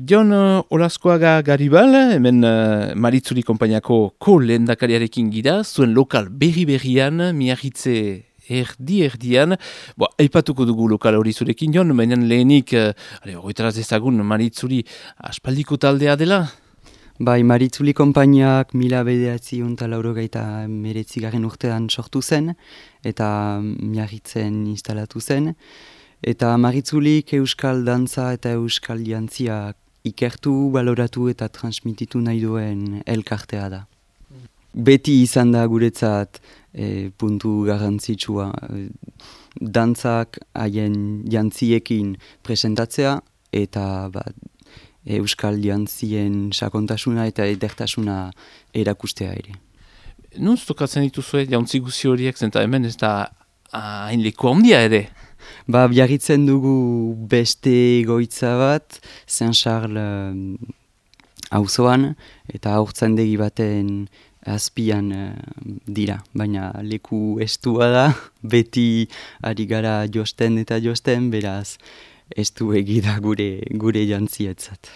Jon Olaskoaga Garibal, hemen Maritzuli konpainiako ko-lehendakariarekin gira, zuen lokal berri-berrian, Miarritze erdi-erdian. Aipatuko dugu lokal hori zurekin, Jon, baina lehenik, horretaraz ezagun Maritzuli aspaldiko taldea dela? Bai, Maritzuli konpainiak 1989 urtean sortu zen, eta Miarritzen instalatu zen. Eta Maritzulik euskal dantza eta euskal jantzia ikertu, baloratu eta transmititu nahi duen elkartea da. Beti izan da guretzat puntu garrantzitsua. Dantzak haien jantziekin presentatzea eta euskal jantzien sakontasuna eta edertasuna erakustea ere. Nuz tokatzen dituzue jauntzi guzi horiek, zenta hemen ez da hain leku handia ere? Biarritzen dugu beste egoitza bat, Saint-Charles auzoan eta haurtzaindegi baten azpian dira. Baina leku estua da, beti ari gara josten eta josten, beraz estu egida gure jantzietzat.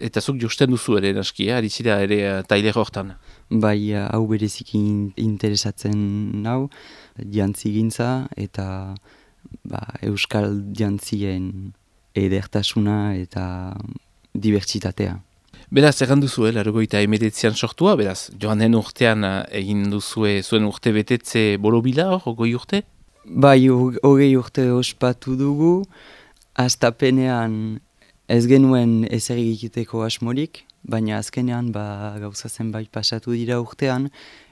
Eta zuk josten duzu ere, naski, ari zira ere tailer hortan? Bai, hau bereziki interesatzen nau, jantzigintza eta euskal jantzien edertasuna eta dibertsitatea. Beraz, erran duzue, 1989an sortua, beraz, joan den urtean egin duzue zuen urte betetze borobila hor, 20 urte? Bai, 20 urte ospatu dugu, hastapenean ez genuen ezer egiteko asmorik, baina azkenean gauza zenbait pasatu dira urtean,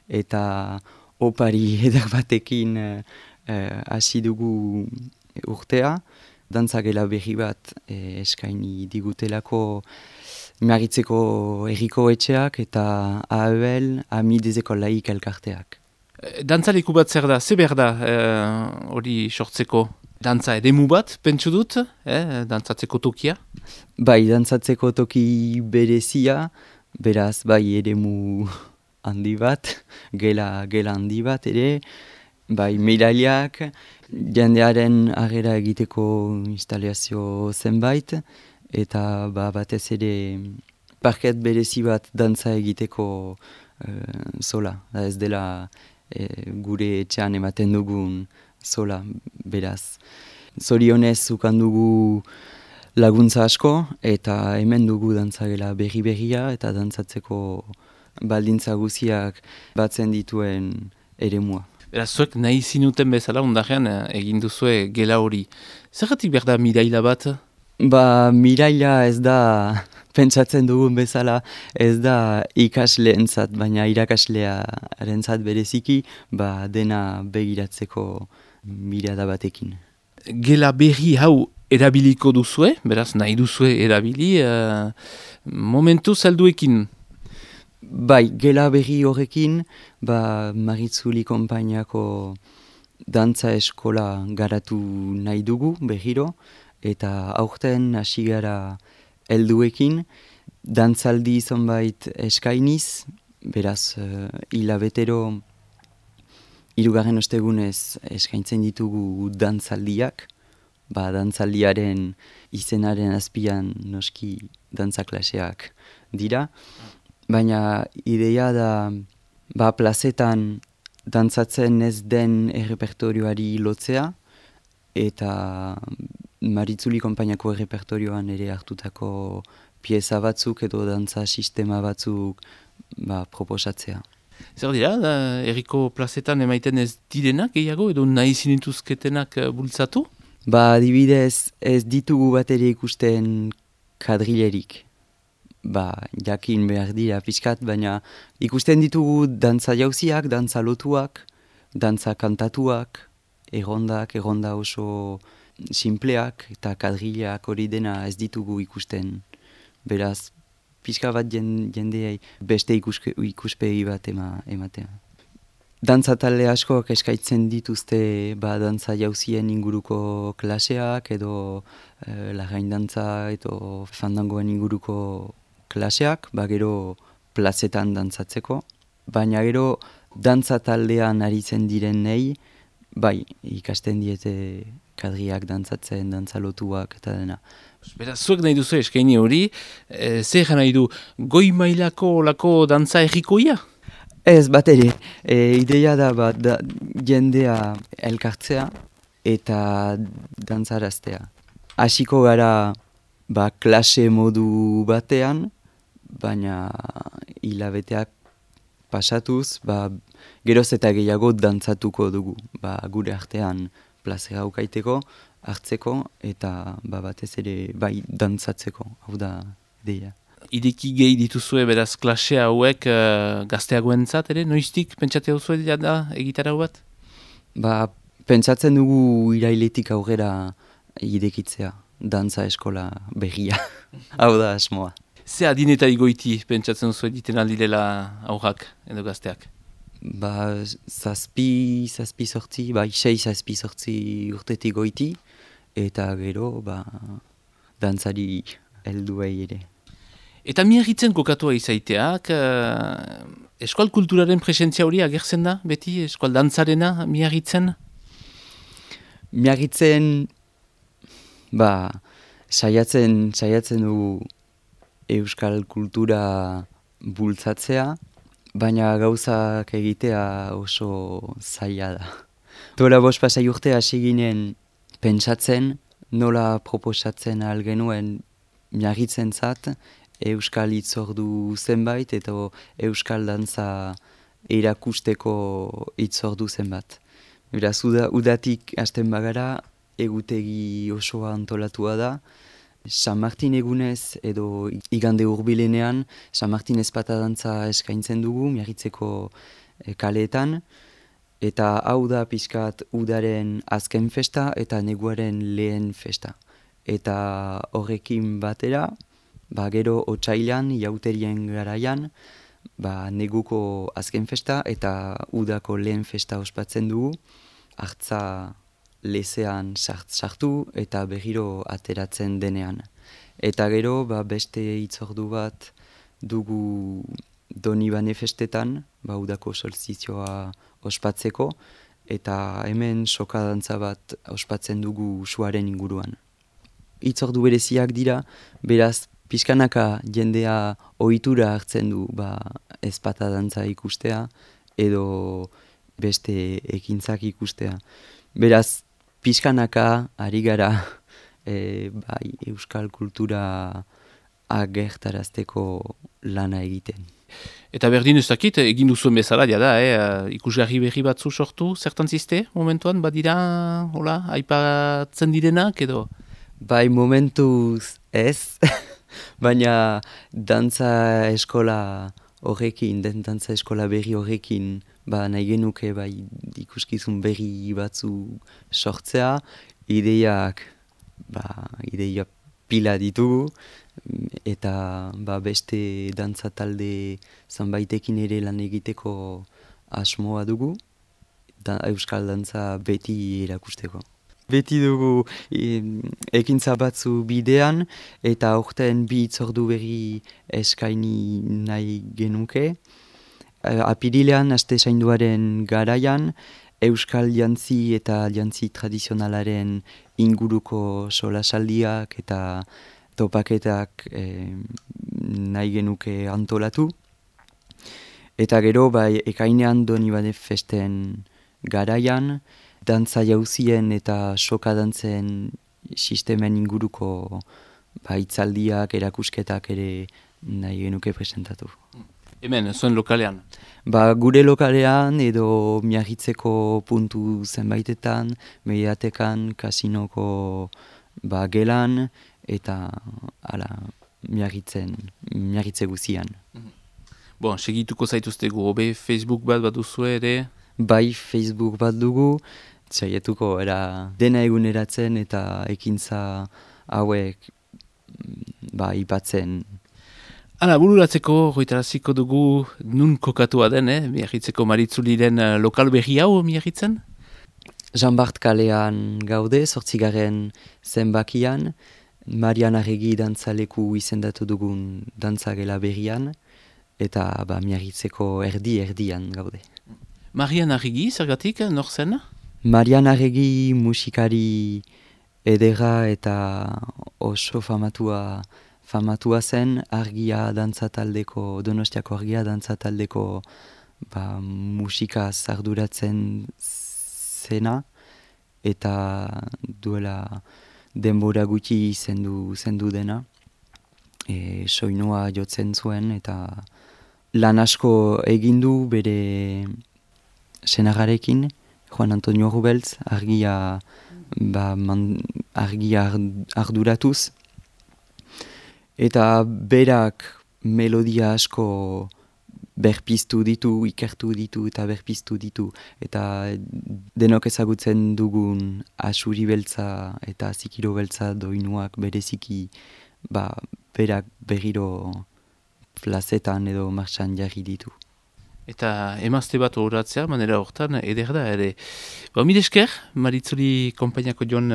eta opari eder batekin hasi dugu urtea. Dantzagela berri bat eskaini digutelako Miarritzeko herriko etxeak eta AEL, Amidezeko laik elkarteak. Dantzaleku bat zer da, ze behar da hori sortzeko? Dantza edemu bat, pentsu dut, dantzatzeko tokia? Bai, dantzatzeko toki berezia, beraz, bai, edemu handi bat, gela handi bat ere, bai, medailiak, jendearen harrera egiteko instalazio zenbait, eta batez ere parket berezi bat dantza egiteko zola. Ez dela gure etxean ematen dugun zola, beraz. Zorionez ukan dugu laguntza asko, eta hemen dugu dantzagela berri-berria, eta dantzatzeko baldintza guziak batzen dituen eremua. Beraz, zuek nahi zinuten bezala, ondarean egin duzue gela hori. Zergatik behar da miraila bat? Miraila ez da, pentsatzen dugun bezala, ez da ikasleentzat, baina irakaslearentzat bereziki, dena begiratzeko mirada batekin. Gela berri hau erabiliko duzue, beraz nahi duzue erabili, momentu salduekin. Bai, gela berri horrekin, Maritzuli konpainiako dantza eskola garatu nahi dugu berriro, eta aurten hasi gara helduekin, dantzaldi zonbait eskainiz, beraz hilabetero 3. ostegunez eskaintzen ditugu dantzaldiak, dantzaldiaren izenaren azpian noski dantzaklaseak dira, baina ideia da plazetan dantzatzen ez den errepertorioari lotzea, eta Maritzuli konpainiako errepertorioan ere hartutako pieza batzuk edo dantza sistema batzuk proposatzea. Zer dira, herriko plazetan emaiten ez direnak gehiago edo nahi zinituzketenak bultzatu? Adibidez ez ditugu bat ere ikusten kadrilerik. Jakin behar dira pixkat, baina ikusten ditugu dantza jauziak, dantza lotuak, dantza kantatuak, erronda oso simpleak eta kadrileak hori dena ez ditugu ikusten. Beraz, pixka bat jendeei beste ikuspegi bat ematea. Dantza talde askoak eskaitzen dituzte dantza jauzien inguruko klaseak edo lagain dantza edo fandangoen inguruko klaseak, gero plazetan dantzatzeko. Baina gero dantza taldean aritzen direnei, ikasten diete kadriak dantzatzen, dantzalotuak eta dena. Beraz, zuek nahi duzu eskaini hori, zer nahi du, goi mailako olako dantza errikoia? Ez, bat ere, ideia da bat jendea elkartzea eta dantzaraztea. Hasiko gara klase modu batean, baina hilabeteak pasatuz, geroz eta gehiago dantzatuko dugu. Gure artean plazera ukaiteko, hartzeko eta batez ere dantzatzeko, hau da ideia. Ideki gehi dituzue beraz klase hauek gazteagoentzat ere, noiztik pentsatzea duzue da egitara bat? Pentsatzen dugu irailetik aurrera idekitzea, dantza eskola berria, hau da asmoa. Ze adineta igoiti pentsatzen duzue egiten aldirela aurrak edo gazteak? 6-7 urtetik goiti, eta gero dantzari helduei ere. Eta Miarritzen kokatua izaiteak, eskual kulturaren presentzia hori agertzen da, beti eskual dantzarena Miarritzen? Miarritzen, saiatzen du euskal kultura bultzatzea, baina gauzak egitea oso zaila da. Duela 5 pasai urte hasi ginen pentsatzen, nola proposatzen ahal genuen Miarritzentzat euskal hitzordu zenbait eta euskal dantza erakusteko hitzordu zenbat. Beraz, udatik hasten bagara, egutegi osoa antolatua da. San Martin egunez edo igande hurbilenean San Martin ezpata dantza eskaintzen dugu Miarritzeko kaleetan. Eta hau da pixkat udaren azken festa eta neguaren lehen festa. Eta horrekin batera, gero otsailean, jauterien garaian, neguko azken festa eta udako lehen festa ospatzen dugu. Hartza lezean sartu eta berriro ateratzen denean. Eta gero beste hitzordu bat dugu Donibane festetan, udako solstizioa ospatzeko, eta hemen sokadantza bat ospatzen dugu suaren inguruan. Hitzordu bereziak dira, beraz pixkanaka jendea ohitura hartzen du ezpata dantza ikustea edo beste ekintzak ikustea. Beraz, pixkanaka ari gara euskal kultura agertarazteko lana egiten. Eta berdin ez dakit, egin duzuen bezala, da, ikusgarri berri batzu sortu, zertan ziste momentuan, badira, hola, aipatzen direnak edo? Momentuz ez, baina dantza eskola horrekin, dantza eskola berri horrekin, nahi genuke ikuskizun berri batzu sortzea, ideia pila ditugu, eta beste dantza talde zanbaitekin ere lan egiteko asmoa dugu, euskal dantza beti erakusteko. Beti dugu ekintza batzu bidean, eta aurten 2 hitzordu berri eskaini nahi genuke. Apirilean, aste zainduaren garaian, euskal jantzi eta jantzi tradizionalaren inguruko solasaldiak eta topaketak nahi genuke antolatu. Eta gero, ekainean Donibane festen garaian, dantza jauzien eta soka dantzen sistemen inguruko hitzaldiak, erakusketak ere nahi genuke presentatu. Hemen, zuen lokalean? Gure lokalean edo Miarritzeko puntu zenbaitetan, mediatekan, kasinoko gelan eta Miarritze guzian. Segituko zaituztegu, hobe Facebook bat duzue ere? Facebook bat dugu, saietuko dena eguneratzen eta ekintza hauek ipatzen. Bururatzeko, goitaraziko dugu nun kokatua den, Miarritzeko Maritzuliren lokal berri hau Miarritzen? Jean Bart kalean gaude, 8. zenbakian, Marian Arregi dantzaleku izendatu dugun dantzagela berrian, eta Miarritzeko erdian gaude. Marian Arregi, zergatik, nor zen? Marian Arregi musikari edera eta oso famatua zen argia dantza taldeko, Donostiako argia dantza taldeko musikaz arduratzen zena eta duela denbora gutxi zendu dena. Soinua jotzen zuen eta lan asko egin du bere senagarekin, Juan Antonio Rubeltz, argia arduratuz. Eta berak melodia asko berpiztu ditu, ikertu ditu eta berpiztu ditu. Eta denok ezagutzen dugun asuri beltza eta zikiro beltza doinuak bereziki berak berriro plazetan edo martxan jarri ditu. Eta emazte bat horatzea, manera hortan, eder da, ere. Mil esker, Maritzuri konpainiako joan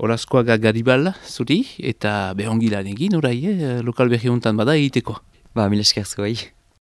Olaskoaga Garibal zuri, eta behongi lan egin, orai, lokal berri hontan bada egiteko. Mil esker zuei.